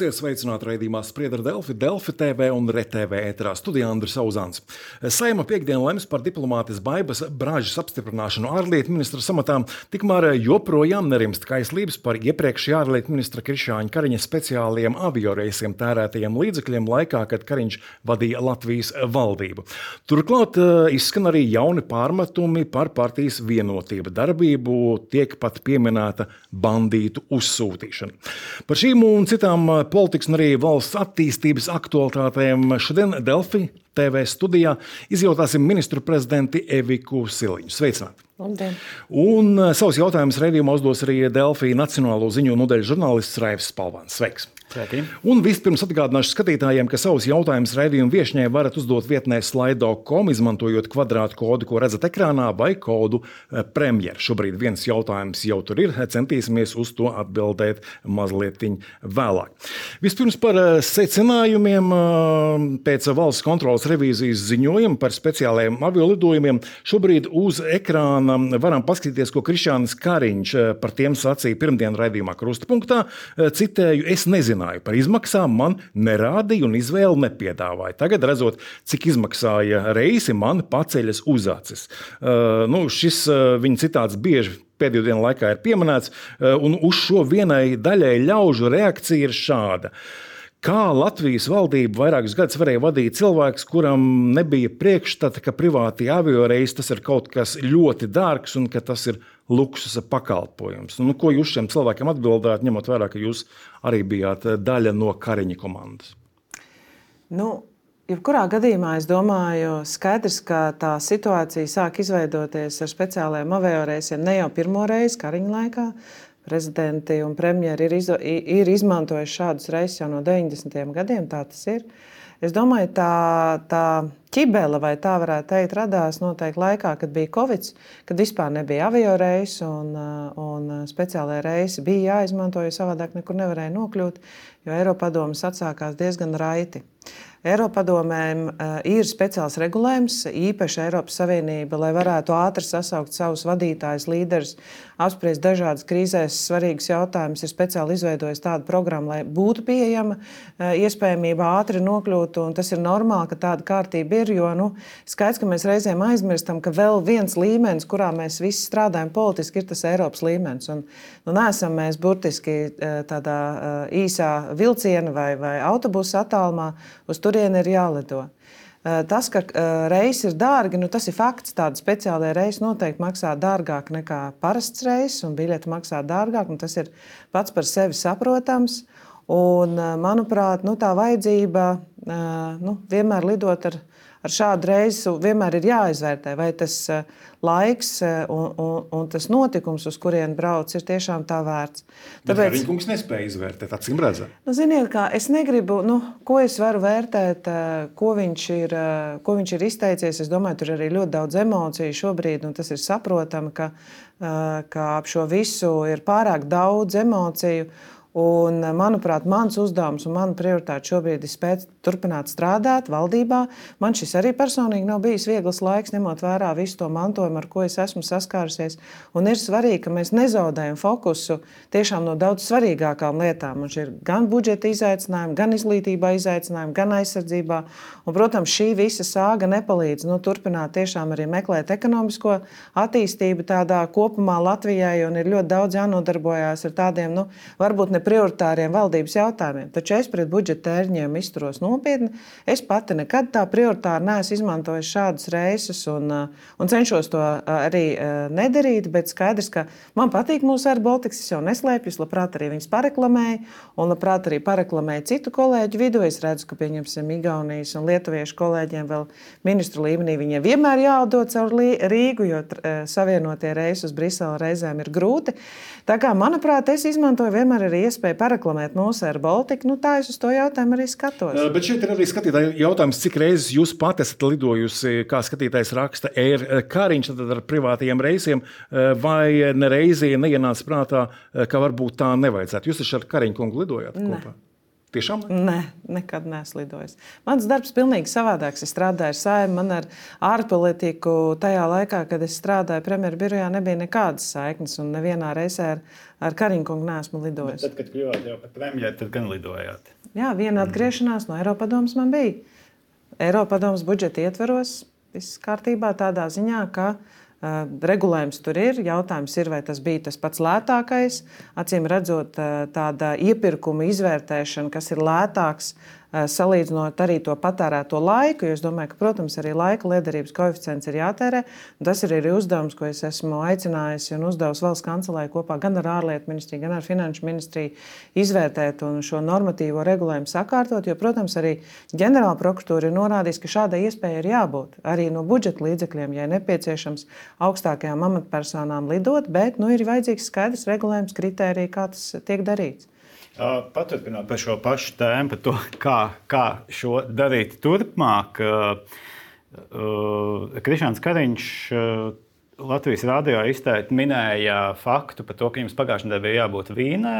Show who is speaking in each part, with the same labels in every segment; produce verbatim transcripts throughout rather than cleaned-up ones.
Speaker 1: Esiet sveicināti raidījumā Sprieda ar Delfi, Delfi T V un R T V ēterā. Studijā Andris Auzāns. Saeima piekdien lems par diplomātes Baibas Bražas apstiprināšanu ārlietu ministra samatām, tikmēr joprojām nerimst kaislības par iepriekšējā ārlietu ministra Krišjāņa Kariņa speciālajiem avioreisiem tērētajiem līdzekļiem laikā, kad Kariņš vadīja Latvijas valdību. Turklāt izskan arī jauni pārmetumi par partijas vienotība darbību, tiek pat pieminēta bandītu uzsūtīšana. Par šīm un citām politikas un arī valsts attīstības aktualitātēm šodien Delfi T V studijā izjautāsim ministru prezidenti Eviku Siliņu. Sveicināti!
Speaker 2: Labdien.
Speaker 1: Un savus jautājumus raidījumā uzdos arī Delfi Nacionālo ziņu nodaļas žurnālists Raivs Spalvans. Sveiks!
Speaker 3: Sveiki.
Speaker 1: Un vispirms atgādināšu skatītājiem, ka savus jautājumus raidījumu viešņai varat uzdot vietnē slido punktu com, izmantojot kvadrātu kodu, ko redzat ekrānā, vai kodu premjer. Šobrīd viens jautājums jau tur ir, centīsimies uz to atbildēt mazliet vēlāk. Vispirms par secinājumiem pēc valsts kontrolas revīzijas ziņojuma par speciālajiem aviolidojumiem. Šobrīd uz ekrāna varam paskatīties, ko Krišjānis Kariņš par tiem sacīja pirmdien raidījumā Krustapunktā. Citēju, es nezinu par izmaksām, man nerādīja un izvēli nepiedāvāja. Tagad, redzot, cik izmaksāja reisi, man paceļas uz acis. Uh, nu, šis uh, viņa citāts bieži pēdējo dienu laikā ir pieminēts, uh, un uz šo vienai daļai ļaužu reakcija ir šāda. Kā Latvijas valdība vairākus gadus varēja vadīt cilvēks, kuram nebija priekšstata, ka privāti avioreisi tas ir kaut kas ļoti dārgs un ka tas ir luksusa pakalpojums. Nu, ko jūs šiem cilvēkiem atbildāt, ņemot vērā, ka jūs arī bijāt daļa no Kariņa komandas?
Speaker 2: Nu, jebkurā gadījumā es domāju, skaidrs, ka tā situācija sāk izveidoties ar speciālajiem avioreisiem ne jau pirmo reizi Kariņa laikā. Prezidenti un premjeri ir, izdo, ir izmantojuši šādus reisus jau no deviņdesmitajiem gadiem, tā tas ir. Es domāju, tā, tā ķibele, vai tā varētu teikt, radās noteikti laikā, kad bija Covid, kad vispār nebija avioreisi un, un speciālajie reisi bija jāizmanto, jo savādāk nekur nevarēja nokļūt, jo Eiropadomes atsākās diezgan raiti. Eiropadomēm ir speciāls regulējums, īpaši Eiropas Savienība, lai varētu ātri sasaukt savus vadītājus, līderus, apspriest dažādas krīzēs svarīgas jautājumus, ir speciāli izveidojis tādu programmu, lai būtu pieejama iespējamība ātri nokļūt, un tas ir normāli, ka tāda kārtība ir, jo nu, skaidrs, ka mēs reizēm aizmirstam, ka vēl viens līmenis, kurā mēs visi strādājam politiski, ir tas Eiropas līmenis. Un, nu, neesam mēs burtiski tādā īsā vilciena vai, vai autobusa attālumā, uz turieni ir jālido. Tas, ka reisi ir dārgi, nu tas ir fakts. Tādi speciālie reisi noteikti maksā dārgāk nekā parasts reiss, un biļeti maksā dārgāk, un tas ir pats par sevi saprotams. Un, manuprāt, nu, tā vajadzība nu, vienmēr lidot ar, ar šādu reisu vienmēr ir jāizvērtē, vai tas laiks un, un, un tas notikums, uz kurien brauc, ir tiešām tā vērts.
Speaker 1: Tāpēc Kariņkungs nespēja izvērtēt, acīm redzēt.
Speaker 2: Nu, ziniet, kā, es negribu, nu, ko es varu vērtēt, ko viņš ir, ko viņš ir izteicies. Es domāju, tur ir arī ļoti daudz emociju šobrīd, un tas ir saprotami, ka, ka ap šo visu ir pārāk daudz emociju. Un, manuprāt, mans uzdevums un mana prioritāte šobrīd ir spēt turpināt strādāt valdībā. Man šis arī personīgi nav bijis viegls laiks, ņemot vērā visu to mantojumu, ar ko es esmu saskārusies. Un ir svarīgi, ka mēs nezaudējam fokusu tiešām no daudz svarīgākām lietām. Mums ir gan budžeta izaicinājumi, gan izglītībā izaicinājumi, gan aizsardzībā. Un, protams, šī visa sāga nepalīdz nu, turpināt tiešām arī meklēt ekonomisko attīstību tādā kopumā Latvijai, un ir ļoti daudz jānodarbojās ar tādiem, nu, varbūt ne prioritāriem valdības jautājumiem. Taču es pret budžeta tēriņiem izturos nopietni. Es pati nekad tā prioritāri neesmu izmantojis šādus reisus un, un cenšos to arī nedarīt, bet skaidrs, ka man patīk mūsu Air Baltics, es jau neslēpju, es labprāt arī viņus pareklamēju un labprāt arī pareklamēju citu kolēģu vidū. Es redzu, ka pieņemsim Igaunijas un lietuviešu kolēģiem vēl ministru līmenī viņiem vienmēr jāatdod caur Rīgu, jo savienotie reisi uz Briseli reizēm ir grūti. Tā kā, manuprāt, es izmantoju vienmēr arī iespēju pareklamēt mūsu Air Baltica, nu tā es uz to jautājumu arī skatos.
Speaker 1: Bet šeit ir arī skatītāji jautājums, cik reizes jūs pat esat lidojusi, kā skatītājs raksta, Air Kariņš tad ar privātajiem reisiem, vai nereizi neienāca prātā, ka varbūt tā nevajadzētu. Jūs taču ar Kariņu kungu lidojāt kopā?
Speaker 2: Ne.
Speaker 1: Tiešām?
Speaker 2: Nē, nekad neesmu lidojis. Mans darbs pilnīgi savādāks. Es strādāju ar Saeimu, man ar ārpolitiku tajā laikā, kad es strādāju premjeru birojā, nebija nekādas saiknes, un nevienā reizē ar, ar Kariņkungu neesmu lidojis.
Speaker 3: Bet tad, kad kļuvāt jau par premjeru, tad gan lidojāt?
Speaker 2: Jā, viena atgriešanās no Eiropadomes man bija. Eiropadomes budžeta ietveros, viss kārtībā tādā ziņā, ka Uh, regulējums tur ir. Jautājums ir, vai tas bija tas pats lētākais. Acīm redzot, uh, tāda iepirkuma izvērtēšana, kas ir lētāks, uh, salīdzinot arī to patērēto laiku, jo es domāju, ka, protams, arī laika liederības koeficients ir jātērē. Tas ir arī uzdevums, ko es esmu aicinājusi un uzdevusi valsts kancelei kopā gan ar ārlietu ministriju, gan ar finanšu ministriju izvērtēt un šo normatīvo regulējumu sakārtot, jo, protams, arī ģenerāla prokuratūra ir norādījusi, ka šādai iespējai ir jābūt arī no budžeta līdzekļiem, ja nepieciešams augstākajām amatpersonām lidot, bet nu, ir vajadzīgs skaidrs regulējums, kritērija, kā tas tiek darīts.
Speaker 3: Paturpinot par šo pašu tēmu, par to, kā, kā šo darīt turpmāk. Krišāns Kariņš Latvijas radio izteikti minēja faktu par to, ka jums pagājušajā nedēļā bija jābūt Vīnē,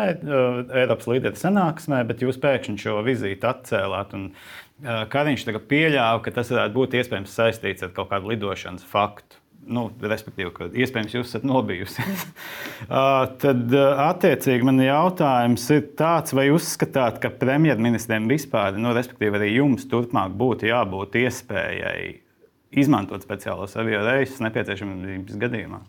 Speaker 3: Eiropas līderu sanāksmē, bet jūs pēkšņi šo vizīti atcēlāt. Un Kariņš tagad pieļāva, ka tas varētu būt iespējams saistīts ar kaut kādu lidošanas faktu. Nu, respektīvi, ka iespējams jūs esat nobijusies. Tad, attiecīgi, man jautājums ir tāds, vai uzskatāt, ka premjerministriem vispār, nu, respektīvi, arī jums turpmāk būtu jābūt iespējai izmantot speciālos avio reisus nepieciešamības gadījumā?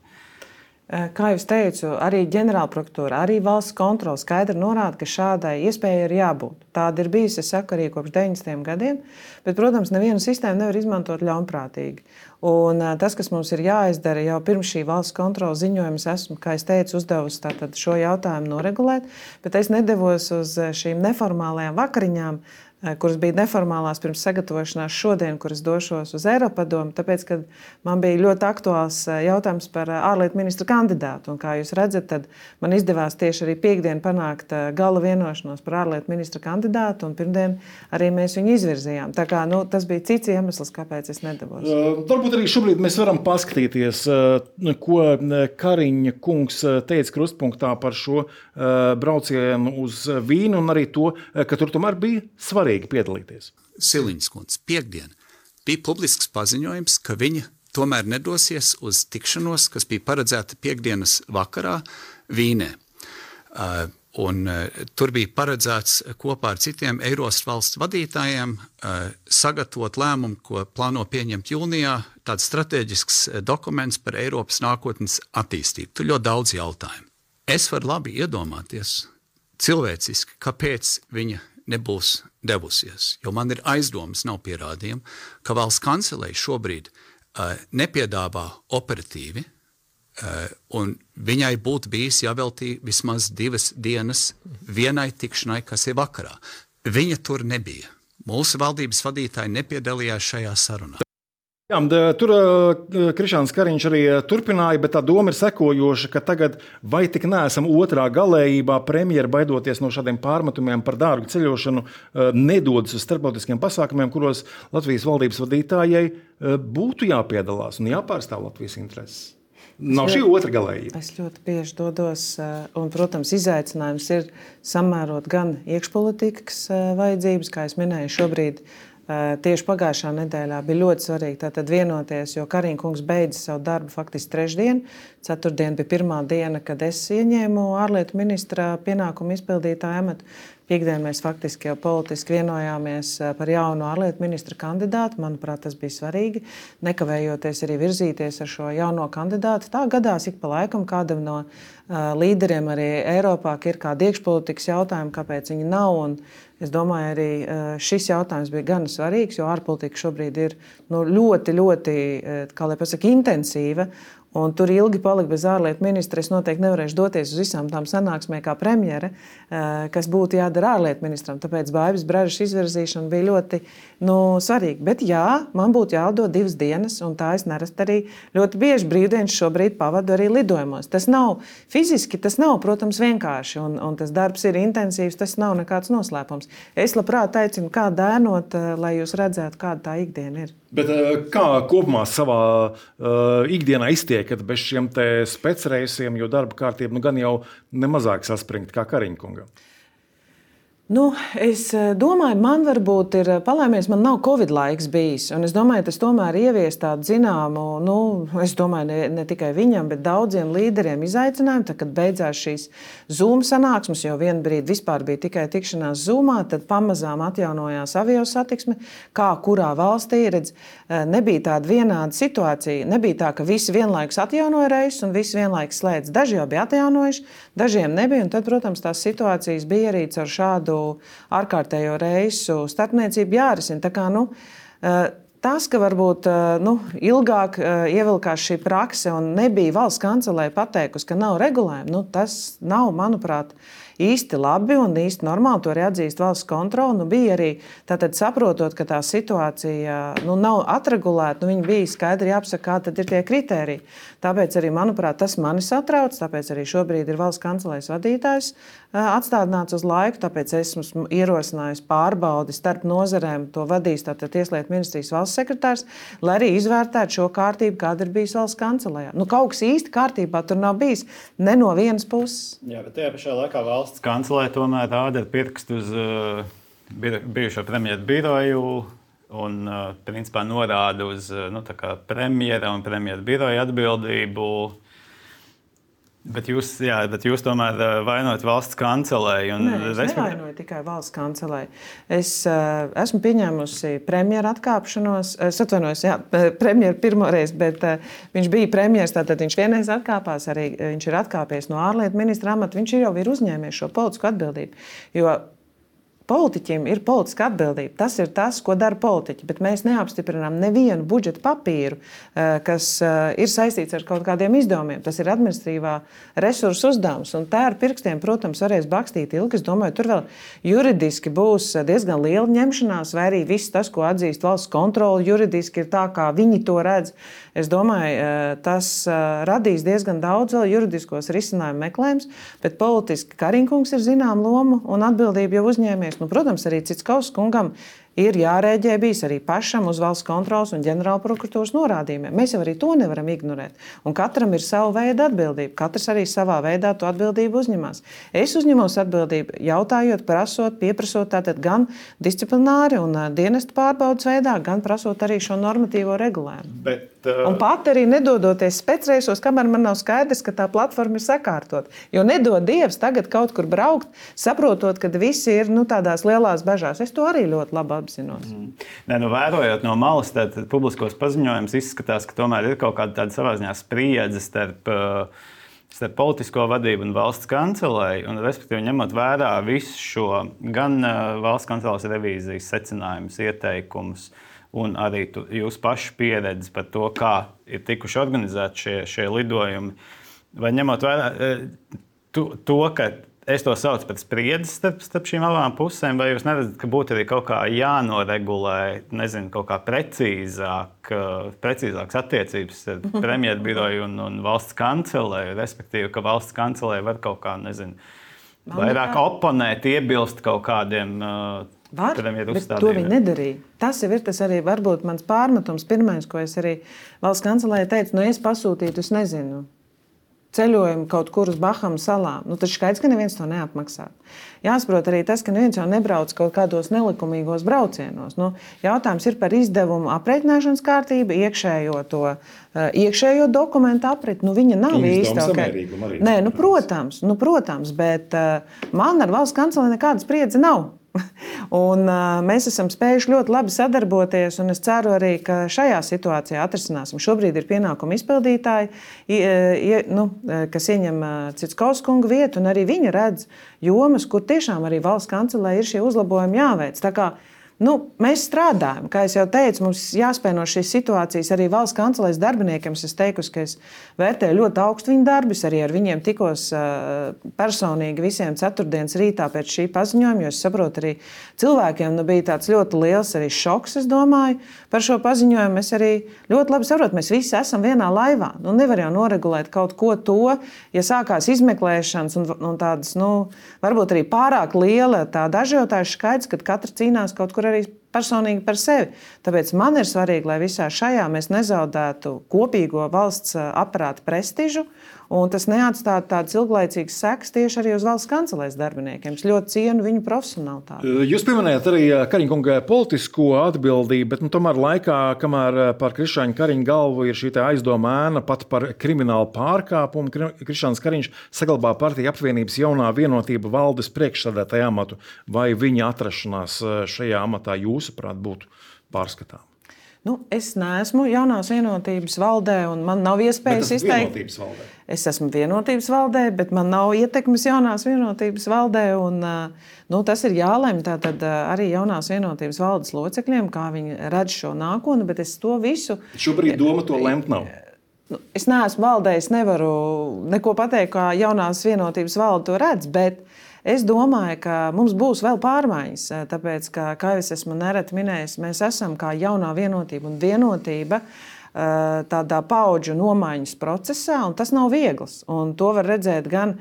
Speaker 2: Kā jau teicu, arī ģenerālprokuratūra, arī valsts kontrole skaidri norāda, ka šādai iespējai ir jābūt. Tāda ir bijusi, es saku, arī kopš deviņdesmitajiem gadiem, bet, protams, nevienu sistēmu nevar izmantot ļaunprātīgi. Un tas, kas mums ir jāizdara jau pirms šī valsts kontroles ziņojuma, es esmu, kā es teicu, uzdevusi tātad šo jautājumu noregulēt, bet es nedevos uz šīm neformālajām vakariņām, kuras bija neformālās pirms sagatavošanās šodien, kuras došos uz Eiropadomu, tāpēc, ka man bija ļoti aktuāls jautājums par ārlietu ministra kandidātu. Un, kā jūs redzat, tad man izdevās tieši arī piekdien panākt gala vienošanos par ārlietu ministra kandidātu, un pirmdien arī mēs viņu izvirzījām. Tā kā, nu, tas bija cits iemesls, kāpēc es nedavos.
Speaker 1: Uh, varbūt arī šobrīd mēs varam paskatīties, uh, ko Kariņa kungs teica krustpunktā par šo uh, braucienu uz Vīnu, un arī to, ka tur tomēr bija svarīgi piedalīties.
Speaker 4: Siliņas kundze, piekdien bija publisks paziņojums, ka viņa tomēr nedosies uz tikšanos, kas bija paredzēta piekdienas vakarā Vīnē. Uh, un uh, tur bija paredzēts kopā ar citiem Eiropas valsts vadītājiem uh, sagatavot lēmumu, ko plāno pieņemt jūnijā, tāds strateģisks dokuments par Eiropas nākotnes attīstību. Tur ļoti daudz jautājumu. Es varu labi iedomāties cilvēciski, kāpēc viņa nebūs devusies, jo man ir aizdomas, nav pierādījumi, ka valsts kancelei šobrīd uh, nepiedāvā operatīvi, uh, un viņai būtu bijis jāveltī vismaz divas dienas vienai tikšanai, kas ir vakarā. Viņa tur nebija. Mūsu valdības vadītāji nepiedalījās šajā sarunā.
Speaker 1: Jā, tur Krišāns Kariņš arī turpināja, bet tā doma ir sekojoša, ka tagad vai tik neesam otrā galējībā, premjera baidoties no šādiem pārmetumiem par dārgu ceļošanu, nedodas uz starptautiskiem pasākumiem, kuros Latvijas valdības vadītājai būtu jāpiedalās un jāpārstāv Latvijas intereses. Nav šī otra galējība.
Speaker 2: Es ļoti bieži dodos, un, protams, izaicinājums ir samērot gan iekšpolitikas vajadzības, kā es minēju šobrīd. Tieši pagājušā nedēļā bija ļoti svarīgi tātad vienoties, jo Kariņa kungs beidza savu darbu faktiski trešdien. Ceturtdien bija pirmā diena, kad es ieņēmu ārlietu ministra pienākumu izpildītāju amatu. Piekdien mēs faktiski jau politiski vienojāmies par jaunu ārlietu ministra kandidātu. Manuprāt, tas bija svarīgi, nekavējoties arī virzīties ar šo jauno kandidātu. Tā gadās ik pa laikam kādam no uh, līderiem arī Eiropā, ka ir kādi iekšpolitikas jautājumi, kāpēc viņi nav. Un es domāju, arī uh, šis jautājums bija gan svarīgs, jo ārpolitika šobrīd ir nu, ļoti, ļoti, kā lai pasaka, intensīva. Un tur ilgi palika bez ārlietu ministra. Es noteikti nevarēšu doties uz visām tām sanāksmēm kā premjere, kas būtu jādara ārlietu ministram. Tāpēc Baivis Bražas izvirzīšana bija ļoti nu, svarīga. Bet jā, man būtu jādod divas dienas, un tā es nerasti arī ļoti bieži brīvdienas šobrīd pavadu arī lidojumos. Tas nav fiziski, tas nav, protams, vienkārši, un, un tas darbs ir intensīvs, tas nav nekāds noslēpums. Es labprāt aicinu kādu dēnot, lai jūs redzētu, kāda tā ikdiena ir.
Speaker 1: Bet kā kopumā savā uh, ikdienā iztiekat bez šiem te specreisiem, jo darba kārtība nu gan jau nemazāk saspringta kā Kariņa kungam?
Speaker 2: Nu, es domāju, man varbūt ir palaimies, man nav Covid laiks bijis. Un es domāju, tas tomēr ievies tādu zināmu, nu, es domāju, ne, ne tikai viņam, bet daudziem līderiem izaicinājumu. Tad, kad beidzās šīs Zoom sanāksmes, jo vienu brīdi vispār bija tikai tikšanās Zoomā, tad pamazām atjaunojās avio satiksme, kā kurā valstī, redz, nebija tāda vienāda situācija. Nebija tā, ka visi vienlaikus atjaunoja reisus un visi vienlaikus slēdz. Daži jau bija atjaunojuši, dažiem nebija. Un tad, protams, tās situācijas bija arī ar šādu ārkārtējo reisu starpniecību jārisina. Tā kā, nu, tas, ka varbūt nu, ilgāk ievilkās šī prakse un nebija valsts kancelē pateikusi, ka nav regulējumi, nu, tas nav, manuprāt, īsti labi un īsti normāli. To arī atzīst valsts kontrole. Nu, bija arī tātad saprotot, ka tā situācija nu, nav atregulēta, nu, viņi bija skaidri jāapsaka, kā tad ir tie kritēriji. Tāpēc arī, manuprāt, tas mani satrauc, tāpēc arī šobrīd ir valsts kancelēs vadītājs atstādināts uz laiku, tāpēc esmu ierosinājusi pārbaudi starp nozarēm, to vadīs tātad Tieslietu ministrijas valsts sekretārs, lai arī izvērtētu šo kārtību, kāda ir bijis valsts kancelējā. Nu, kaut kas īsti kārtībā tur nav bijis ne no vienas puses.
Speaker 3: Jā, bet tajā pašā laikā valsts kancelē tomēr rāda pirkstu uz uh, bijušo premjeru biroju un uh, principā norāda uz uh, nu, premjera un premjera biroja atbildību. Bet jūs, jā, bet jūs tomēr vainojat valsts kancelēju.
Speaker 2: Nē, es respekt... nevainoju tikai valsts kancelēju. Es uh, esmu pieņēmusi premjera atkāpšanos. Es atvainojos, jā, premjera pirmoreiz, bet uh, viņš bija premjers, tātad viņš vienreiz atkāpās, arī viņš ir atkāpies no ārlietu ministra amata. Viņš jau ir uzņēmies šo politisku atbildību. Jo politiķim ir politiska atbildība. Tas ir tas, ko dara politiķi. Bet mēs neapstiprinām nevienu budžeta papīru, kas ir saistīts ar kaut kādiem izdevumiem. Tas ir administratīvā resursu uzdevums. Un tā ar pirkstiem, protams, varēs bakstīt ilgi. Es domāju, tur vēl juridiski būs diezgan liela ņemšanās, vai arī viss tas, ko atzīst valsts kontrole, juridiski ir tā, kā viņi to redz. Es domāju, tas radīs diezgan daudz vēl juridiskos risinājumu meklējums, bet politiski Kariņkungs ir zinām lomu un atbildību jau uzņēmies. Nu, protams, arī Citskauskas kungam ir jārēģē bijis arī pašam uz valsts kontroles un ģenerāla prokuratūras norādījumiem. Mēs jau arī to nevaram ignorēt. Un katram ir sava veida atbildība. Katrs arī savā veidā to atbildību uzņemās. Es uzņemos atbildību jautājot, prasot, pieprasot tātad gan disciplināri un dienestu pārbaudas veidā, gan prasot arī šo normatīvo regulējumu.
Speaker 3: Bet, uh...
Speaker 2: Un pat arī nedodoties specreisos, kamēr man nav skaidrs, ka tā platforma ir sakārtot. Jo nedod Dievs tagad kaut kur braukt, saprotot, ka visi ir nu, tādās lielās bažās. Es to arī ļoti labi apzinos.
Speaker 3: Mm. Nē, nu, vērojot no malas, tad publiskos paziņojumus izskatās, ka tomēr ir kaut kāda tāda savā ziņā spriedze starp, starp politisko vadību un valsts kancelēju. Un, respektīvi, ņemot vērā visu šo gan valsts kancelēs revīzijas secinājumus, ieteikumus, un arī tu, jūsu pašu pieredzi par to, kā ir tikuši organizēti šie, šie lidojumi. Vai ņemot vērā to, to, ka es to saucu par spriedzi starp, starp šīm abām pusēm, vai jūs neredzat, ka būtu arī kaut kā jānoregulē, nezinu, kaut kā precīzāk, precīzākas attiecības ar premjeru biroju un, un valsts kancelēju, respektīvi, ka valsts kancelēja var kaut kā, nezinu, vairāk oponēt, iebilst kaut kādiem uh,
Speaker 2: Var, bet to viņi nedarīja. Tas jau ir tas arī varbūt mans pārmetums. Pirmais, ko es arī valsts kancelējai teicu, nu es pasūtītu, es nezinu, ceļojumu kaut kur uz Bahamu salām. Nu, taču skaidrs, ka neviens to neapmaksā. Jāsaprot arī tas, ka neviens jau nebrauc kaut kādos nelikumīgos braucienos. Nu, jautājums ir par izdevumu aprēķināšanas kārtību, iekšējo to iekšējo dokumentu apriti. Nu, viņa nav īsta. Okay. Nē, nu, protams, nu, protams, bet man ar valsts kancelē nekāda spriedze nav. Un, uh, mēs esam spējuši ļoti labi sadarboties, un es ceru arī, ka šajā situācijā atrisināsim. Šobrīd ir pienākuma izpildītāji, i, i, nu, kas ieņem Citskauskas kunga vietu, un arī viņi redz jomas, kur tiešām arī valsts kancelē ir šie uzlabojumi jāveic. Tā kā Nu, mēs strādājam, kā jau teicu, mums jāspēj no šīs situācijas arī valsts kancelēs darbiniekiem. Es teiktu, ka es vērtēju ļoti augstu viņu darbus, arī ar viņiem tikos personīgi visiem ceturtdienas rītā pēc šī paziņojuma, jo es saprotu, arī cilvēkiem nu, bija tāds ļoti liels arī šoks, es domāju, par šo paziņojumu. Es arī ļoti labi saprotu, mēs visi esam vienā laivā. Nu, nevar jau noregulēt kaut ko to, ja sākās izmeklēšanas un, un tādas, nu, varbūt arī pārāk liela tāda ažiotāža skaits, kad katrs cīnās kaut kur arī personīgi par sevi. Tāpēc man ir svarīgi, lai visā šajā mēs nezaudētu kopīgo valsts aparāta prestižu, un tas neatstātu tādas ilglaicīgas sekas tieši arī uz valsts kancelēs darbiniekiem. Es ļoti cienu viņu profesionalitāti.
Speaker 1: Jūs pieminējāt arī Kariņa kunga politisko atbildību, bet nu, tomēr laikā, kamēr par Krišāņa Kariņa galvu ir šī aizdoma ēna pat par kriminālu pārkāpumu, Krišāns Kariņš saglabā partiju apvienības jaunā vienotība valdes priekšsēdētāja amatu. Vai viņa atrašanās šajā amatā jūsuprāt būtu pārskatām?
Speaker 2: Nu, es neesmu jaunās vienotības valdē, un man nav iespējas izteikt. Es esmu vienotības valdē, bet man nav ietekmes jaunās vienotības valdē. Un, nu, tas ir jālemj tātad arī jaunās vienotības valdes locekļiem, kā viņi redz šo nākotni, bet es to visu.
Speaker 1: Šobrīd doma to lemt nav.
Speaker 2: Nu, es neesmu valdē, es nevaru neko pateikt, kā jaunās vienotības valde to redz, bet es domāju, ka mums būs vēl pārmaiņas, tāpēc, ka, kā es esmu nereti minējis, mēs esam kā jaunā vienotība un vienotība tādā paudžu nomaiņas procesā, un tas nav viegls. Un to var redzēt gan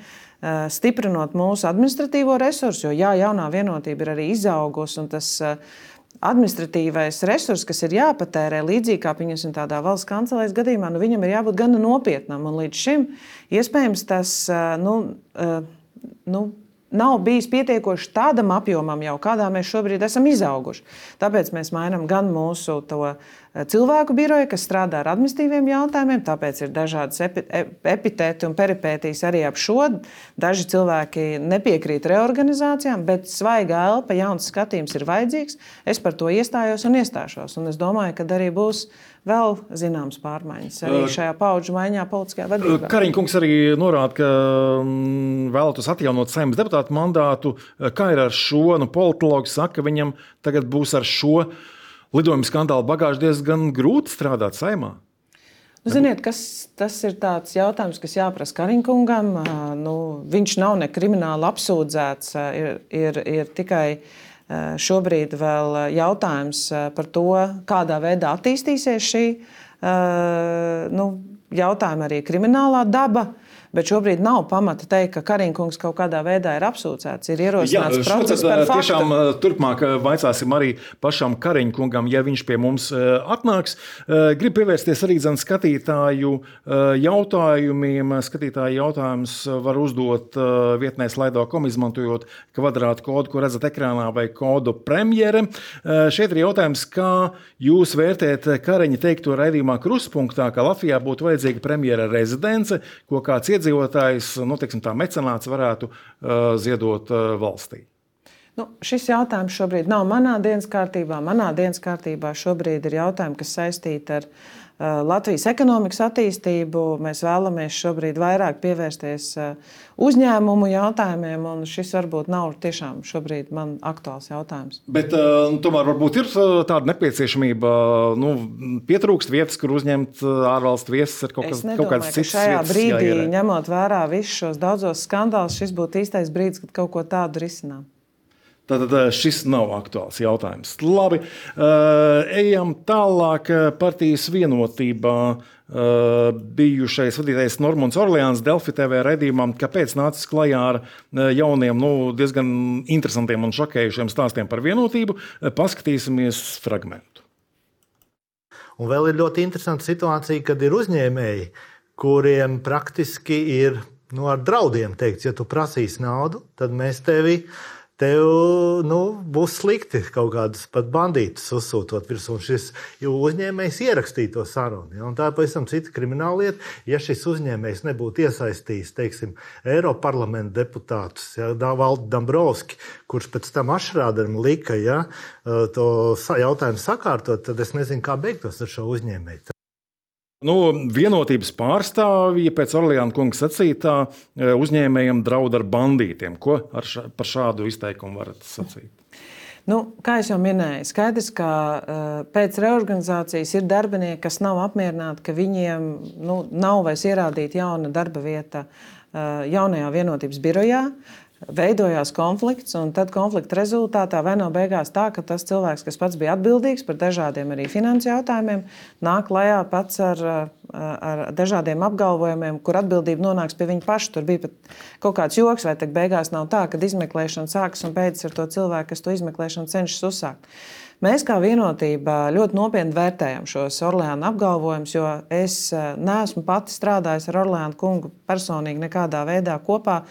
Speaker 2: stiprinot mūsu administratīvo resursu, jo jā, jaunā vienotība ir arī izaugusi, un tas administratīvais resurs, kas ir jāpatērē līdzīgi kā pieņemsim tādā valsts kancelēs gadījumā, nu, viņam ir jābūt gana nopietnam, un līdz šim iespējams tas, nu, nu, nav bijis pietiekoši tādam apjomam, jau kādā mēs šobrīd esam izauguši. Tāpēc mēs mainām gan mūsu to cilvēku biroju, kas strādā ar administratīviem jautājumiem, tāpēc ir dažādas epi, epitēti un peripētīs arī ap šo. Daži cilvēki nepiekrīt reorganizācijām, bet svaiga elpa, jauns skatījums ir vajadzīgs. Es par to iestājos un iestāšos. Un es domāju, ka arī būs vēl zināmas pārmaiņas arī šajā paudžu maiņā politiskajā vadībā.
Speaker 1: Kariņa kungs arī norāda, ka vēlētos atjaunot Saeimas deputātu mandātu. Kā ir ar šo? Nu, politologi saka, ka viņam tagad būs ar šo lidojuma skandālu bagāžu diezgan grūti strādāt Saeimā.
Speaker 2: Nu, ziniet, kas, tas ir tāds jautājums, kas jāprasa Kariņa kungam. Nu, viņš nav ne krimināli apsūdzēts, ir, ir, ir tikai šobrīd vēl jautājums par to, kādā veidā attīstīsies šī nu, jautājuma arī kriminālā daba. Bet šobrīd nav pamata teikt, ka Kariņa kungs kaut kādā veidā ir apsūdzēts. Ir ierosināts process par faktu.
Speaker 1: Tiešām turpmāk vaicāsim arī pašam Kariņa kungam, ja viņš pie mums atnāks. Gribu pievērsties arī zin skatītāju jautājumiem. Skatītāju jautājums var uzdot vietnē slaido kom, izmantojot kvadrātu kodu, ko redzat ekrānā, vai kodu premjere. Šeit ir jautājums, kā jūs vērtēt Kariņa teikto raidījumā Kruspunktā, ka Latvijā būtu vajadzīga premjera rezidence, ko kāds iedzīvotājs, nu, teiksim, tā mecenāts varētu uh, ziedot uh, valstī?
Speaker 2: Nu, šis jautājums šobrīd nav manā dienas kārtībā. Manā dienas kārtībā šobrīd ir jautājumi, kas saistīti ar uh, Latvijas ekonomikas attīstību. Mēs vēlamies šobrīd vairāk pievērsties uh, uzņēmumu jautājumiem, un šis varbūt nav tiešām šobrīd man aktuāls jautājums.
Speaker 1: Bet uh, tomēr varbūt ir tāda nepieciešamība, nu, pietrūkst vietas, kur uzņemt ārvalstu viesus ar kaut, kas,
Speaker 2: nedomāju,
Speaker 1: kaut kādas citas
Speaker 2: šajā
Speaker 1: vietas.
Speaker 2: Brīdī,
Speaker 1: jāierē.
Speaker 2: ņemot vērā visus šos daudzos skandālus, šis būtu īstais brīdis, kad kaut ko tādu risinām.
Speaker 1: Tātad šis nav aktuāls jautājums. Labi, ejam tālāk. Partijas vienotībā bijušais vadītājs Normons Orleāns Delfi T V raidījumā, kāpēc nācis klajā ar jauniem, nu, diezgan interesantiem un šokējušiem stāstiem par vienotību. Paskatīsimies fragmentu.
Speaker 5: Un vēl ir ļoti interesanta situācija, kad ir uzņēmēji, kuriem praktiski ir, nu, ar draudiem teikts, ja tu prasīsi naudu, tad mēs tevi Tev nu, būs slikti kaut kādus pat bandītus uzsūtot virsū. Un šis uzņēmējs ierakstīja to sarunu. Ja? Un tā ir pavisam cita krimināla lieta. Ja šis uzņēmējs nebūtu iesaistījis, teiksim, Eiroparlamenta deputātus, ja, Valdi Dombrovski, kurš pēc tam Ašrāderam lika, ja, to jautājumu sakārtot, tad es nezinu, kā beigtos ar šo uzņēmēju.
Speaker 1: Nu, vienotības pārstāvji pēc Orleāna kunga sacītā uzņēmējiem draud ar bandītiem. Ko ar ša, par šādu izteikumu varat sacīt?
Speaker 2: Nu, kā jau minēju, skaidrs, ka uh, pēc reorganizācijas ir darbinieki, kas nav apmierināti, ka viņiem nu, nav vairs ierādīta jauna darba vieta uh, jaunajā vienotības birojā. veidojās konflikts, un tad konflikta rezultātā vai no beigās tā, ka tas cilvēks, kas pats bija atbildīgs par dažādiem arī finansu jautājumiem, nāk klajā pats ar, ar dažādiem apgalvojumiem, kur atbildība nonāks pie viņa paša. Tur bija pat kaut kāds joks, vai tak beigās nav tā, kad izmeklēšana sākas un beidzas ar to cilvēku, kas to izmeklēšanu cenšas uzsākt. Mēs kā vienotība ļoti nopietni vērtējam šos Orleāna apgalvojumus, jo es neesmu pati strādājis ar Orleāna kungu personīgi nekādā veidā kopā.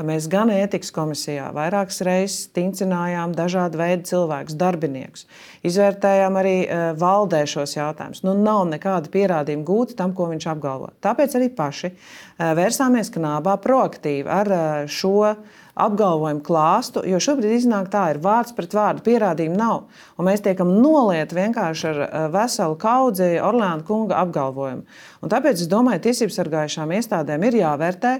Speaker 2: Mēs gan ētikas komisijā vairākas reizes tincinājām dažādu veidu cilvēkus, darbiniekus. Izvērtējām arī valdē šos jautājumus. Nu, nav nekāda pierādījuma gūta tam, ko viņš apgalvo. Tāpēc arī paši vērsāmies knābā proaktīvi ar šo apgalvojumu klāstu, jo šobrīd iznāk tā, ir vārds pret vārdu, pierādījumu nav. Un mēs tiekam nolieti vienkārši ar veselu kaudzi Orleāna kunga apgalvojumu. Un tāpēc es domāju, tiesības sargājušām iestādēm ir jāvērtē,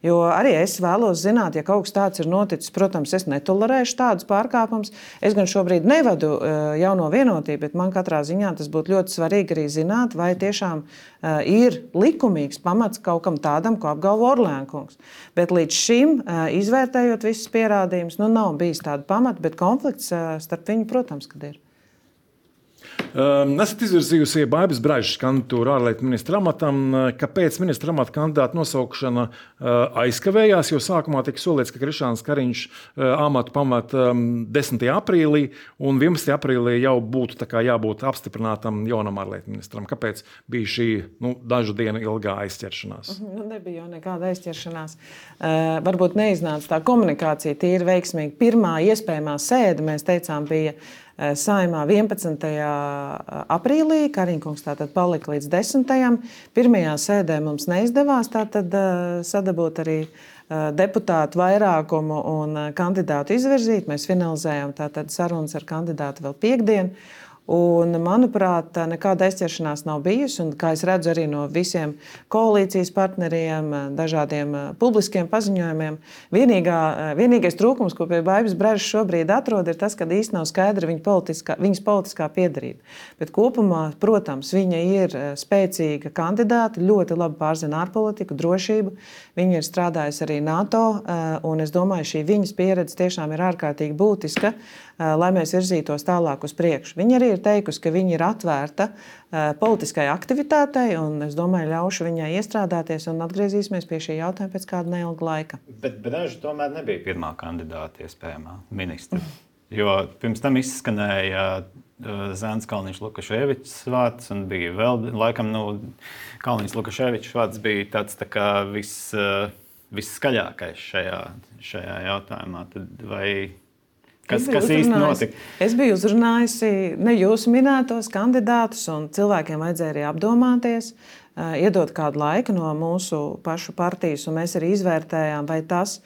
Speaker 2: jo arī es vēlos zināt, ja kaut kas tāds ir noticis, protams, es netolerēšu tādus pārkāpumus. Es gan šobrīd nevadu jauno vienotību, bet man katrā ziņā tas būtu ļoti svarīgi arī zināt, vai tiešām ir likumīgs pamats kaut kam tādam, ko apgalvo Orleāna kungs. Bet līdz šim izvērtējot visus pierādījumus, nu nav bijis tāda pamata, bet konflikts starp viņu, protams, kad ir.
Speaker 1: Um, esat izvirzījusi Baibas Bražas kandidatūru ārlietu ministra amatam. Kāpēc ministra amata kandidāta nosaukšana uh, aizkavējās? Jo sākumā tika solīts, ka Krišāns Kariņš uh, amatu pamat um, desmitajā aprīlī, un vienpadsmitajā aprīlī jau būtu tā kā jābūt apstiprinātam jaunam ārlietu ministram. Kāpēc bija šī nu, dažu dienu ilgā aizķeršanās?
Speaker 2: Nu, nebija jau nekāda aizķeršanās. Uh, varbūt neiznāca tā komunikācija tīri veiksmīgi. Pirmā iespējamā sēde, mēs teicām, bija Saeimā vienpadsmitajā aprīlī, Kariņkungs tātad palika līdz desmitajam. Pirmajā sēdē mums neizdevās tātad sadabūt arī deputātu vairākumu un kandidātu izvirzīt. Mēs finalizējām tātad sarunas ar kandidātu vēl piekdien. Un, manuprāt, nekāda aizķeršanās nav bijusi. Un, kā es redzu arī no visiem koalīcijas partneriem, dažādiem publiskiem paziņojumiem, vienīgā, vienīgais trūkums, ko pie Baibas Bražas šobrīd atrod, ir tas, ka īsti nav skaidra viņa politiskā, viņas politiskā piederība. Bet kopumā, protams, viņa ir spēcīga kandidāta, ļoti labi pārzina ārpolitiku, drošību. Viņa ir strādājusi arī NATO, un es domāju, šī viņas pieredze tiešām ir ārkārtīgi būtiska, lai mēs virzītos tālāk uz priekšu. Viņa arī ir teikusi, ka viņa ir atvērta politiskai aktivitātei, un es domāju, ļaušu viņai iestrādāties un atgriezīsimies pie šī jautājuma pēc kāda neilga laika.
Speaker 3: Bet Braža tomēr nebija pirmā kandidāta iespējamā ministra, jo pirms tam izskanēja Zēns Kalniņš Lukaševičs vārds, un bija vēl, laikam, nu, Kalniņš Lukaševičs vārds bija tāds tā kā viss, visskaļākais šajā, šajā jautājumā. Tad vai Kas, kas īsti notika?
Speaker 2: Es biju uzrunājusi ne jūsu minētos kandidātus, un cilvēkiem vajadzēja arī apdomāties, iedot kādu laiku no mūsu pašu partijas, un mēs arī izvērtējām, vai tas,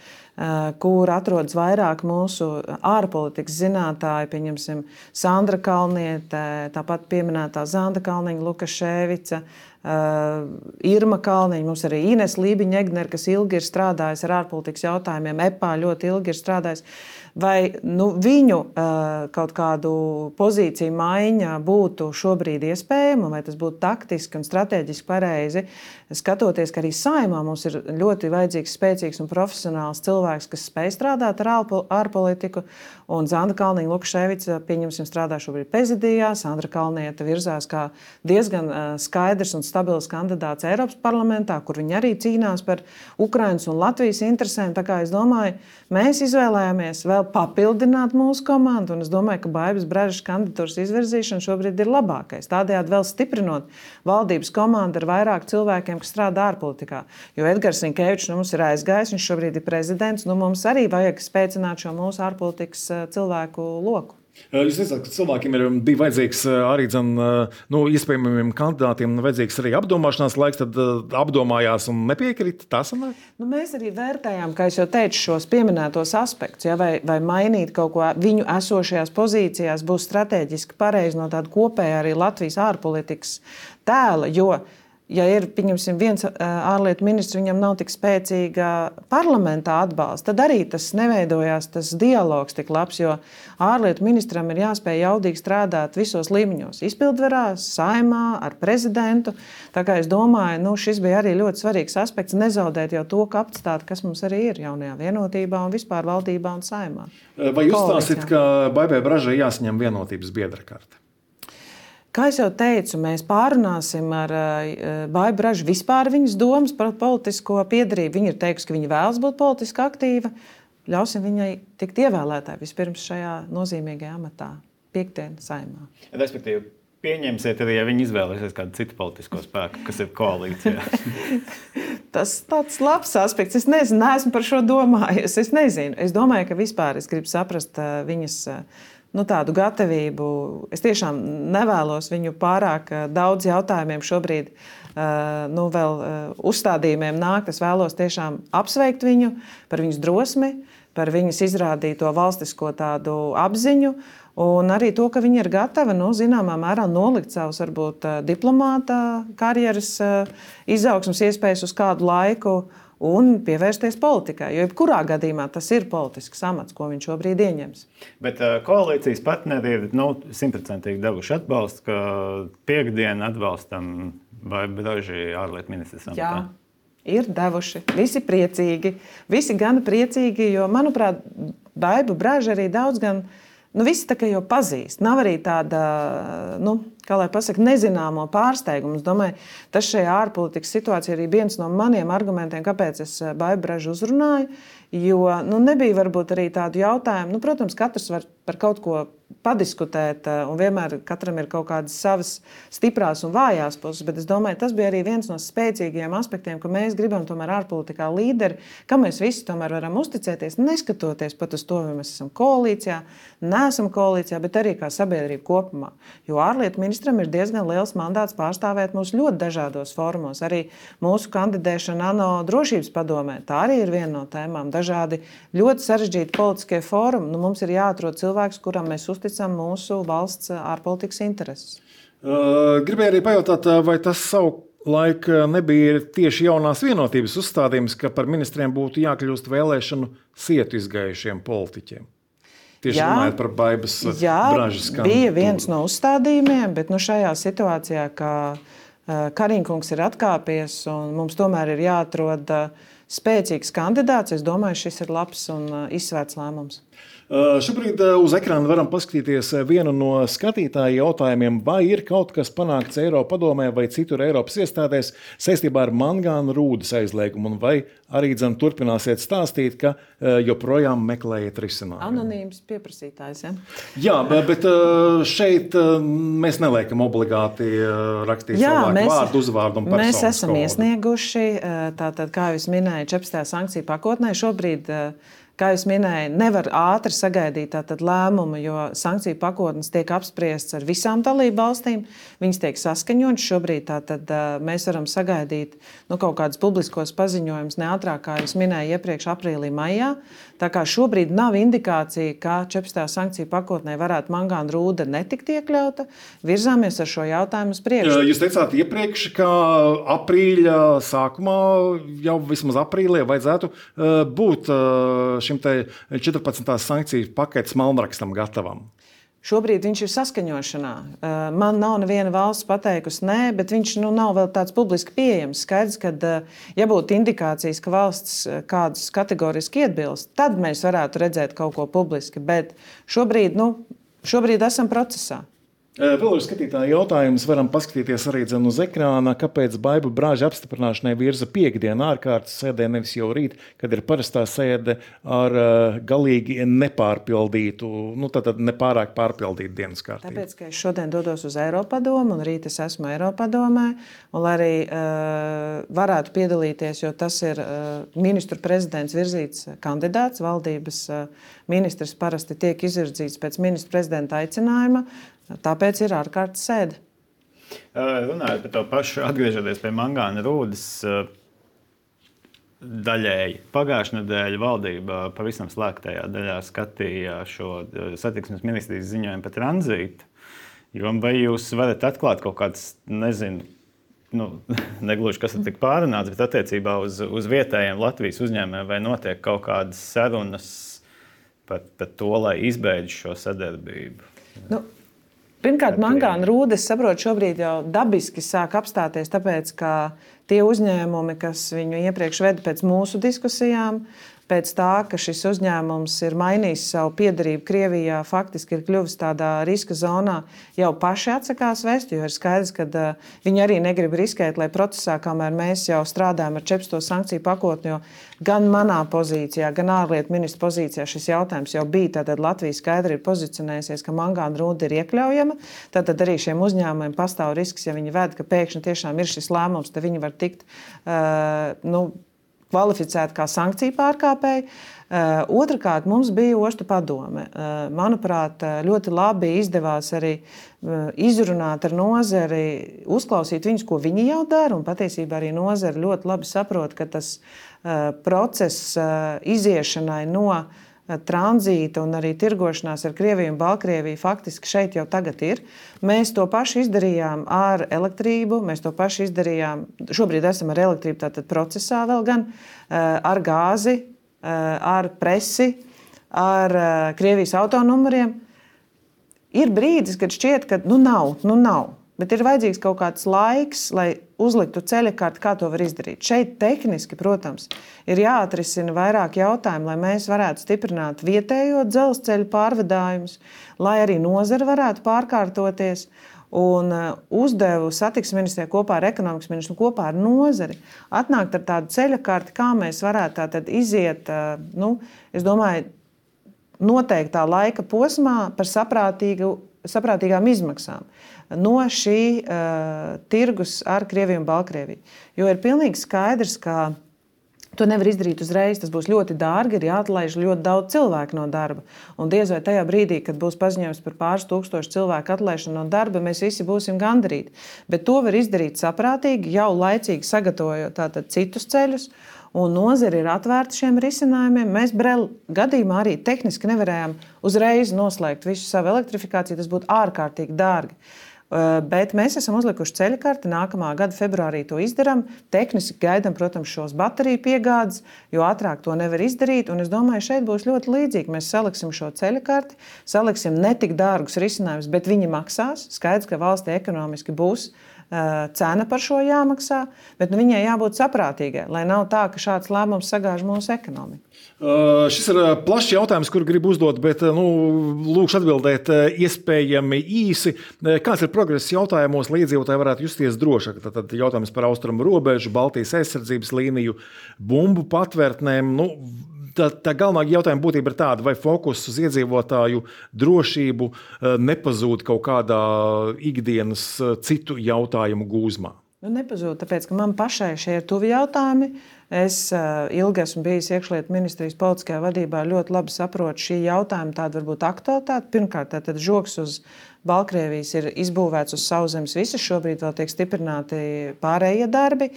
Speaker 2: kur atrodas vairāk mūsu ārpolitikas zinātāji, pieņemsim Sandra Kalniete, tāpat pieminētā Zanda Kalniņa Lukaševica, Uh, Irma Kalniņa, mums arī Ines Lībiņa-Egner, kas ilgi ir strādājis ar ārpolitikas jautājumiem, E P A ļoti ilgi ir strādājis. Vai nu, viņu uh, kaut kādu pozīciju maiņa būtu šobrīd iespējama, vai tas būtu taktiski un strateģiski pareizi, skatoties, ka arī Saeimā mums ir ļoti vajadzīgs, spēcīgs un profesionāls cilvēks, kas spēj strādāt ar ārpolitiku, un Zanda Kalniņa Lukaševica, pieņemsim, strādā šobrīd prezidijā, Sandra Kalniete virzās kā diezgan uh, skaidrs un stabils kandidāts Eiropas parlamentā, kur viņi arī cīnās par Ukrainas un Latvijas interesēm. Tā kā es domāju, mēs izvēlējāmies vēl papildināt mūsu komandu, un es domāju, ka Baibas Bražas kandidatūras izvirzīšana šobrīd ir labākais. Tādējādi vēl stiprinot valdības komandu ar vairāk cilvēkiem, kas strādā ārpolitikā. Jo Edgars Rinkēvičs nu, mums ir aizgājis, viņš šobrīd ir prezidents, nu mums arī vajag spēcināt šo mūsu ārpolitikas cilvēku loku.
Speaker 1: Jūs teicāt, ka cilvēkiem ir, bija vajadzīgs arī dzen, nu, iespējamiem kandidātiem vajadzīgs arī apdomāšanās laiks, tad apdomājās un nepiekrita. Tā sanāk?
Speaker 2: Nu, mēs arī vērtējām, kā es jau teicu, šos pieminētos aspektus, ja, vai, vai mainīt kaut ko viņu esošajās pozīcijās būs strateģiski pareizi no tāda kopējā arī Latvijas ārpolitikas tēla, jo ja ir viens ārlietu ministrs, viņam nav tik spēcīga parlamentā atbalsta, tad arī tas neveidojās tas dialogs tik labs, jo ārlietu ministram ir jāspēj jaudīgi strādāt visos līmeņos. Izpildvarā, saimā, ar prezidentu. Tā kā es domāju, nu, šis bija arī ļoti svarīgs aspekts, nezaudēt jau to kapacitāti, kas mums arī ir jaunajā vienotībā un vispār valdībā un saimā.
Speaker 1: Vai uzstāsit, ka Baibai Bražai jāsaņem vienotības biedra karte?
Speaker 2: Kā jau teicu, mēs pārunāsim ar Baibu Bražu vispār viņas domas par politisko piedarību. Viņa ir teikusi, ka viņa vēlas būt politiski aktīva. Ļausim viņai tikt ievēlētāji vispirms šajā nozīmīgajā amatā, piektdien saimā.
Speaker 3: Respektīvi, pieņemsiet arī, ja viņi izvēlēsies kādu citu politisko spēku, kas ir koalīcijā.
Speaker 2: Tas tāds labs aspekts. Es nezinu, neesmu par šo domājis. Es nezinu. Es domāju, ka vispār es gribu saprast viņas nu, tādu gatavību. Es tiešām nevēlos viņu pārāk daudz jautājumiem šobrīd nu, vēl uzstādījumiem nākt. Es vēlos tiešām apsveikt viņu par viņas drosmi, par viņas izrādīto valstisko tādu apziņu un arī to, ka viņa ir gatava nu, zināmā mērā nolikt savus varbūt diplomāta karjeras izaugsmas iespējas uz kādu laiku un pievērsties politikai. Jo jebkurā gadījumā tas ir politisks amats, ko viņš šobrīd ieņems.
Speaker 3: Bet uh, koalīcijas partneri ir nu, simtprocentīgi devuši atbalstu, ka piekdien atbalstam Baibu Bražu ārlietu ministrs amatā.
Speaker 2: Jā, ir devuši. Visi priecīgi. Visi gan priecīgi, jo, manuprāt, Baibu Bražu arī daudz gan nu, visi tā kā jau pazīst. Nav arī tāda, nu, kā lai pasaka, nezināmo pārsteigumu. Es domāju, tas šajā ārpolitikas situācijā arī viens no maniem argumentiem, kāpēc es Baibu Bražu uzrunāju, jo nu, nebija varbūt arī tādu jautājumu. Nu, protams, katrs var par kaut ko padiskutēt, un vienmēr katram ir kaut kādas savas stiprās un vājās puses, bet es domāju, tas bija arī viens no spēcīgajiem aspektiem, ka mēs gribam tomēr ārpolitikā līderi, ka mēs visi tomēr varam uzticēties, neskatoties pat uz to, vai mēs esam koalīcijā, neesam koalīcijā, bet arī kā sabiedrība kopumā. Jo ārlietu ministram ir diezgan liels mandāts pārstāvēt mūs ļoti dažādos formos. Arī mūsu kandidēšana ANO drošības padomē, tā arī ir viena no tēmām. Dažādi ļoti sarežģīti politiskie fórumi. Nu, mums ir jāatrod cilvēks, kuram mēs uzticam mūsu valsts ārpolitikas intereses.
Speaker 1: Uh, gribēju arī pajautāt, vai tas savulaik nebija tieši jaunās vienotības uzstādījums, ka par ministriem būtu jākļūst vēlēšanu sietu izgājušiem politiķiem? Tieši jā, runājot par Baibas Bražas kandidatūru.
Speaker 2: Bija viens no uzstādījumiem, bet nu, šajā situācijā, ka Kariņkungs ir atkāpies un mums tomēr ir jāatrod spēcīgs kandidāts, es domāju, šis ir labs un izsvērts lēmums.
Speaker 1: Šobrīd uz ekrāna varam paskatīties vienu no skatītāju jautājumiem, vai ir kaut kas panākts Eiropadomē vai citur Eiropas iestādēs saistībā ar mangānu rūdas aizliegumu, un vai arī dzen turpināsiet stāstīt, ka joprojām meklējat risinājumu.
Speaker 2: Anonīms pieprasītājs, ja?
Speaker 1: Jā, bet šeit mēs neliekam obligāti rakstīt
Speaker 2: Jā,
Speaker 1: cilvēku
Speaker 2: mēs,
Speaker 1: vārdu, uzvārdu un personas
Speaker 2: mēs esam
Speaker 1: kodu.
Speaker 2: Iesnieguši, tātad, kā jūs minēju, četrpadsmitajā sankciju pakotnē šobrīd, kā jūs minēju, nevar ātri sagaidīt tātad lēmumu, jo sankciju pakotnes tiek apspriests ar visām dalību valstīm. Viņas tiek saskaņotas. Šobrīd tātad mēs varam sagaidīt nu, kaut kādus publiskos paziņojumus ne ātrāk, kā jūs minēju, iepriekš aprīlī, maijā. Tā kā šobrīd nav indikācija, ka četrpadsmitajā sankciju pakotnē varētu mangāna rūda netikt iekļauta. Virzāmies ar šo jautājumu uz priekšu.
Speaker 1: Jūs teicāt iepriekš, ka aprīļa sākumā, jau vismaz aprīlī, vajadzētu būt šim te četrpadsmitās sankciju paketes malnrakstam gatavam.
Speaker 2: Šobrīd viņš ir saskaņošanā. Man nav neviena valsts pateikusi nē, bet viņš nu, nav vēl tāds publiski pieejams. Skaidrs, ka, ja būtu indikācijas, ka valsts kādus kategoriski iebilst, tad mēs varētu redzēt kaut ko publiski. Bet šobrīd, nu, šobrīd esam procesā.
Speaker 1: Vēl ir skatītāji jautājums, varam paskatīties arī dzen uz ekrāna, kāpēc Baibu Braža apstiprināšanai virza piekdienu ārkārtas sēdē, nevis jau rīt, kad ir parastā sēde ar galīgi nepārpildītu, nu tātad nepārāk pārpildītu dienas kārtību.
Speaker 2: Tāpēc, ka es šodien dodos uz Eiropadomu un rīt es esmu Eiropadomē, un lai arī uh, varētu piedalīties, jo tas ir uh, ministru prezidents virzīts kandidāts, valdības uh, ministrs parasti tiek izvirzīts pēc ministru prezidenta aicinājuma. Tāpēc ir ārkārtas sēde.
Speaker 3: Runājot par to pašu, atgriežoties pie mangāna rūdas, daļēji. Pagājušā nedēļa valdība pavisam slēgtajā daļā skatīja šo satiksmes ministrijas ziņojumu par tranzītu. Vai jūs varat atklāt kaut kādas, nezinu, nu, negluži kas ir tik pārunāts, bet attiecībā uz, uz vietējiem Latvijas uzņēmējiem vai notiek kaut kādas sarunas par, par to, lai izbeidz šo sadarbību?
Speaker 2: Nu. Pirmkārt, mangāna rūda, es saprotu, šobrīd jau dabiski sāk apstāties, tāpēc, ka tie uzņēmumi, kas viņu iepriekš veda pēc mūsu diskusijām, pēc tā, ka šis uzņēmums ir mainījis savu piederību Krievijā, faktiski ir kļuvis tādā riska zonā, jau paši atsakās vest, jo ir skaidrs, ka uh, viņi arī negrib riskēt, lai procesā, kamēr mēs jau strādājam ar četrpadsmito sankciju pakotni, jo gan manā pozīcijā, gan ārlietu ministra pozīcijā šis jautājums jau bija, tātad Latvija skaidri ir pozicionējusies, ka mangāna rūda ir iekļaujama, tātad arī šiem uzņēmumiem pastāv risks, ja viņi ved, ka pēkšņi tiešām ir šis lēmums, tad viņi var tikt, uh, nu, kvalificēti kā sankciju pārkāpēji. Uh, Otrakārt, mums bija ostu padome. Uh, manuprāt, ļoti labi izdevās arī uh, izrunāt ar nozari, uzklausīt viņus, ko viņi jau dara, un patiesībā arī nozari ļoti labi saprot, ka tas uh, process uh, iziešanai no uh, tranzīta un arī tirgošanās ar Krieviju un Baltkrieviju faktiski šeit jau tagad ir. Mēs to pašu izdarījām ar elektrību, mēs to pašu izdarījām, šobrīd esam ar elektrību tātad procesā vēl gan, ar gāzi, ar presi, ar Krievijas autonumuriem. Ir brīdis, kad šķiet, ka nu nav, nu nav. Bet ir vajadzīgs kaut kāds laiks, lai uzliktu ceļakārti, kā to var izdarīt. Šeit tehniski, protams, ir jāatrisina vairāk jautājumu, lai mēs varētu stiprināt vietējo dzelzceļu pārvadājumus, lai arī nozara varētu pārkārtoties. Un uzdevu satiksmes ministrijai kopā ar ekonomikas ministru, kopā ar nozari atnākt ar tādu ceļakārti, kā mēs varētu tātad iziet, nu, es domāju, noteiktā laika posmā par saprātīgu, saprātīgām izmaksām no šī uh, tirgus ar Krieviju un Baltkrieviju. Jo ir pilnīgi skaidrs, ka to nevar izdarīt uzreiz. Tas būs ļoti dārgi, ir jāatlaiž ļoti daudz cilvēku no darba. Un diez vai tajā brīdī, kad būs paziņojums par pāris tūkstošu cilvēku atlaišanu no darba, mēs visi būsim gandarīti. Bet to var izdarīt saprātīgi, jau laicīgi sagatavojot tātad citus ceļus. Un nozare ir atvērta šiem risinājumiem. Mēs Brel gadījumā arī tehniski nevarējām uzreiz noslēgt visu savu elektrifikāciju. Tas būtu ārkārtīgi dārgi. Bet mēs esam uzlikuši ceļakarti. Nākamā gada februārī to izdarām. Tehniski gaidām, protams, šos bateriju piegādes, jo ātrāk to nevar izdarīt. Un es domāju, šeit būs ļoti līdzīgi. Mēs saliksim šo ceļakarti, saliksim ne tik dārgus risinājumus, bet viņi maksās. Skaidrs, ka valstī ekonomiski būs cena par šo jāmaksā, bet nu, viņai jābūt saprātīgai, lai nav tā, ka šāds lēmums sagāž mūsu ekonomiku.
Speaker 1: Uh, šis ir plašs jautājums, kuru gribu uzdot, bet nu, lūkšu atbildēt iespējami īsi. Kāds ir progress jautājumos, lai iedzīvotāji varētu justies drošāk? Tad jautājums par austrumu robežu, Baltijas aizsardzības līniju, bumbu patvērtnēm. Nu, Tā, tā galvenā jautājuma būtība ir tāda, vai fokus uz iedzīvotāju drošību nepazūd kaut kādā ikdienas citu jautājumu gūzmā?
Speaker 2: Nu, nepazūd, tāpēc, ka man pašai šie ir tuvi jautājumi. Es uh, ilgi esmu bijis iekšlietu ministrijas politiskajā vadībā, ļoti labi saprotu šī jautājuma tāda varbūt aktualitāte. Pirmkārt, tātad žogs uz Baltkrievijas ir izbūvēts uz sauszemes visas, šobrīd vēl tiek stiprināti pārējie darbi.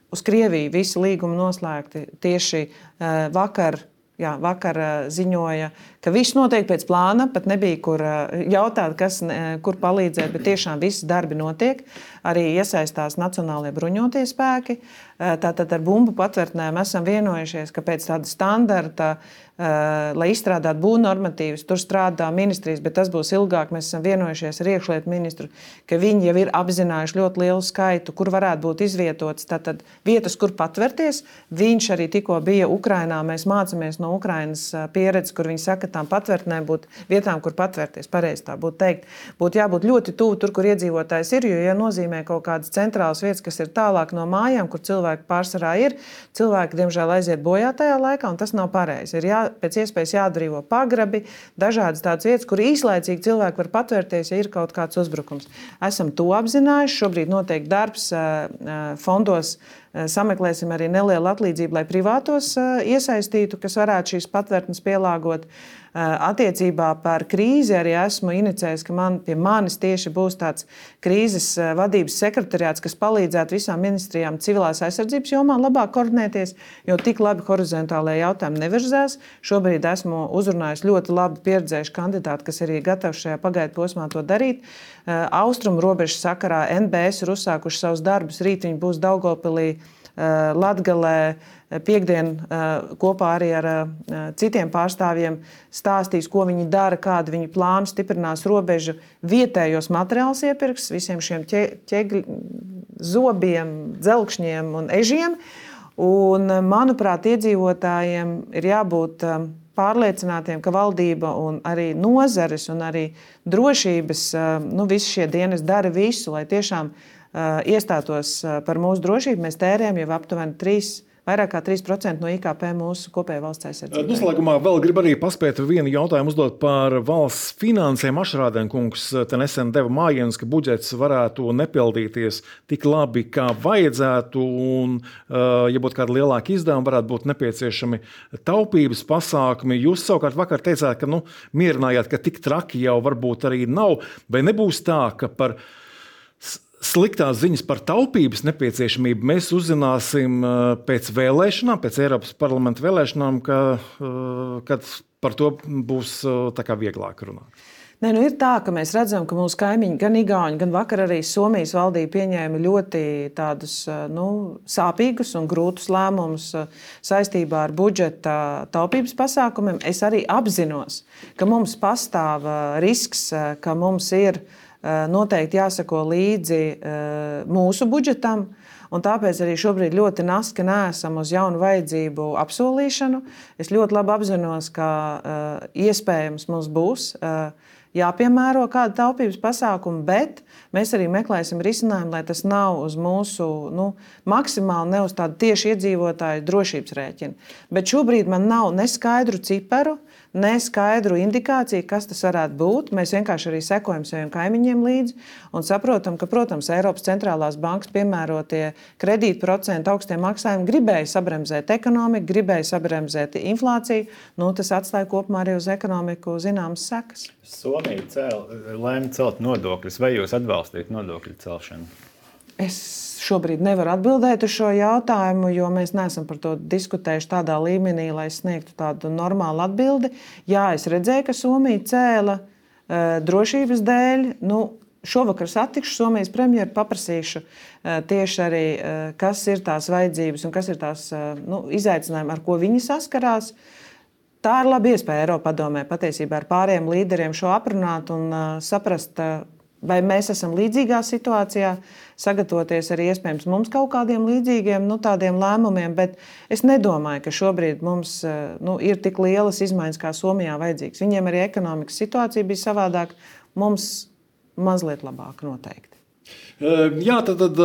Speaker 2: Uz Krieviju visi līgumi noslēgti tieši uh, vakar, jā, vakar uh, ziņoja, ka viss notiek pēc plāna, pat nebija kur uh, jautāt, kas, uh, kur palīdzēt, bet tiešām visi darbi notiek. Arī iesaistās Nacionālie bruņotie spēki. Uh, tātad ar bumbu patvērtnēm esam vienojušies, ka pēc tāda standarta, uh, lai izstrādātu būvnormatīvus, tur strādā ministrijas, bet tas būs ilgāk. Mēs esam vienojušies ar iekšlietu ministru, ka viņi jau ir apzinājuši ļoti lielu skaitu, kur varētu būt izvietots tātad vietas, kur patvērties. Viņš arī tikko bija Ukrainā. Mēs mācāmies no Ukrainas pieredzes, kur viņi saka, ka tām patvērtnēm būtu vietām, kur patvērties, pareizi tā būtu teikt. Būtu jābūt ļoti tuvu tur, kur iedzīvotājs ir, jo, ja nozīmē kaut kādas centrālas vietas, kas ir tālāk no mājām, kur cilvēki pārsvarā ir, cilvēki, diemžēl, aiziet bojā tajā laikā, un tas nav pareizi. Ir jā, pēc iespējas jāatbrīvo pagrabi, dažādas tādas vietas, kur īslaicīgi cilvēki var patvērties, ja ir kaut kāds uzbrukums. Esam to apzinājuši, šobrīd notiek darbs fondos, sameklēsim arī nelielu atlīdzību, lai privātos iesaistītu, kas varētu šīs patvērtnes pielāgot. Attiecībā par krīzi arī esmu inicējis, ka man, pie manis tieši būs tāds krīzes vadības sekretariāts, kas palīdzētu visām ministrijām civilās aizsardzības jomā labāk koordinēties, jo tik labi horizontālajie jautājumi nevirzās. Šobrīd esmu uzrunājis ļoti labi pieredzējuši kandidāti, kas arī gatavi šajā pagaidu posmā to darīt. Austrumu robežas sakarā N B S ir uzsākuši savus darbus. Rīt viņi būs Daugavpilī, Latgalē, piekdien kopā arī ar citiem pārstāvjiem stāstīs, ko viņi dara, kādu viņi plānu, stiprinās robežu, vietējos materiālus iepirks, visiem šiem ķegļu, zobiem, dzelkšņiem un ežiem. Un, manuprāt, iedzīvotājiem ir jābūt pārliecinātiem, ka valdība un arī nozares un arī drošības, nu, visi šie dienas dara visu, lai tiešām iestātos par mūsu drošību. Mēs tērējam jau aptuveni trīs, vairāk kā trīs procenti no I K P mūsu kopējā valsts aizsardzībai.
Speaker 1: Noslēgumā vēl gribu arī paspēt vienu jautājumu uzdot par valsts finansēm. Ašrādēnkungs te nesen deva mājienus, ka budžets varētu nepildīties tik labi, kā vajadzētu, un, ja būtu kāda lielāka izdevuma, varētu būt nepieciešami taupības pasākumi. Jūs savukārt vakar teicāt, ka nu, mierinājāt, ka tik traki jau varbūt arī nav, vai nebūs tā, ka par sliktās ziņas par taupības nepieciešamību mēs uzzināsim pēc vēlēšanām, pēc Eiropas parlamenta vēlēšanām, ka, kad par to būs tā kā vieglāk runāt?
Speaker 2: Nē, nu ir tā, ka mēs redzam, ka mūsu kaimiņi, gan Igauņi, gan vakar arī Somijas valdība pieņēma ļoti tādus nu, sāpīgus un grūtus lēmumus saistībā ar budžeta taupības pasākumiem. Es arī apzinos, ka mums pastāv risks, ka mums ir noteikti jāsako līdzi mūsu budžetam, un tāpēc arī šobrīd ļoti naski neesam uz jaunu vajadzību apsolīšanu. Es ļoti labi apzinos, ka iespējams mums būs jāpiemēro kāda taupības pasākuma, bet mēs arī meklēsim risinājumu, lai tas nav uz mūsu nu, maksimāli ne uz tādu tieši iedzīvotāju drošības rēķinu. Bet šobrīd man nav ne skaidru ciparu, ne skaidru indikāciju, kas tas varētu būt. Mēs vienkārši arī sekojam saviem kaimiņiem līdzi un saprotam, ka, protams, Eiropas centrālās bankas piemērotie kredītprocentu augstie maksājumi gribēja sabremzēt ekonomiku, gribēja sabremzēt inflāciju. Nu, tas atstāja kopumā arī uz ekonomiku zināmas sekas.
Speaker 3: Somija cēl, lēma celt nodokļus. Vai jūs atbalstīt nodokļu celšanu?
Speaker 2: Es šobrīd nevaru atbildēt uz šo jautājumu, jo mēs neesam par to diskutējuši tādā līmenī, lai sniegtu tādu normālu atbildi. Jā, es redzēju, ka Somija cēla uh, drošības dēļ. Nu, šovakar satikšu Somijas premjeru, paprasīšu uh, tieši arī, uh, kas ir tās vajadzības un kas ir tās uh, nu, izaicinājumi, ar ko viņi saskarās. Tā ir laba iespēja Eiropadomē patiesībā ar pārējiem līderiem šo aprunāt un uh, saprast, uh, vai mēs esam līdzīgā situācijā, sagatavoties arī iespējams mums kaut kādiem līdzīgiem nu, tādiem lēmumiem, bet es nedomāju, ka šobrīd mums nu, ir tik lielas izmaiņas, kā Somijā vajadzīgs. Viņiem arī ekonomikas situācija bija savādāk, mums mazliet labāk noteikti.
Speaker 1: Jā, tad, tad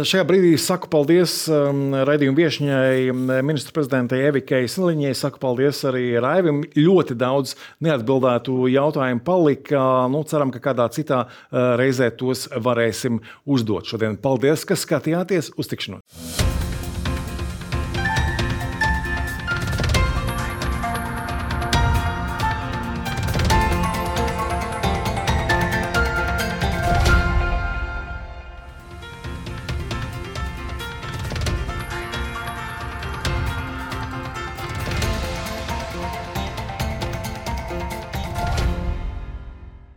Speaker 1: šajā brīdī saku paldies raidījuma viešņai, ministru prezidentei Evikai Siliņai. Saku paldies arī Raivim. Ļoti daudz neatbildētu jautājumu palika. Nu, ceram, ka kādā citā reizē tos varēsim uzdot šodien. Paldies, ka skatījāties. Uz tikšanos!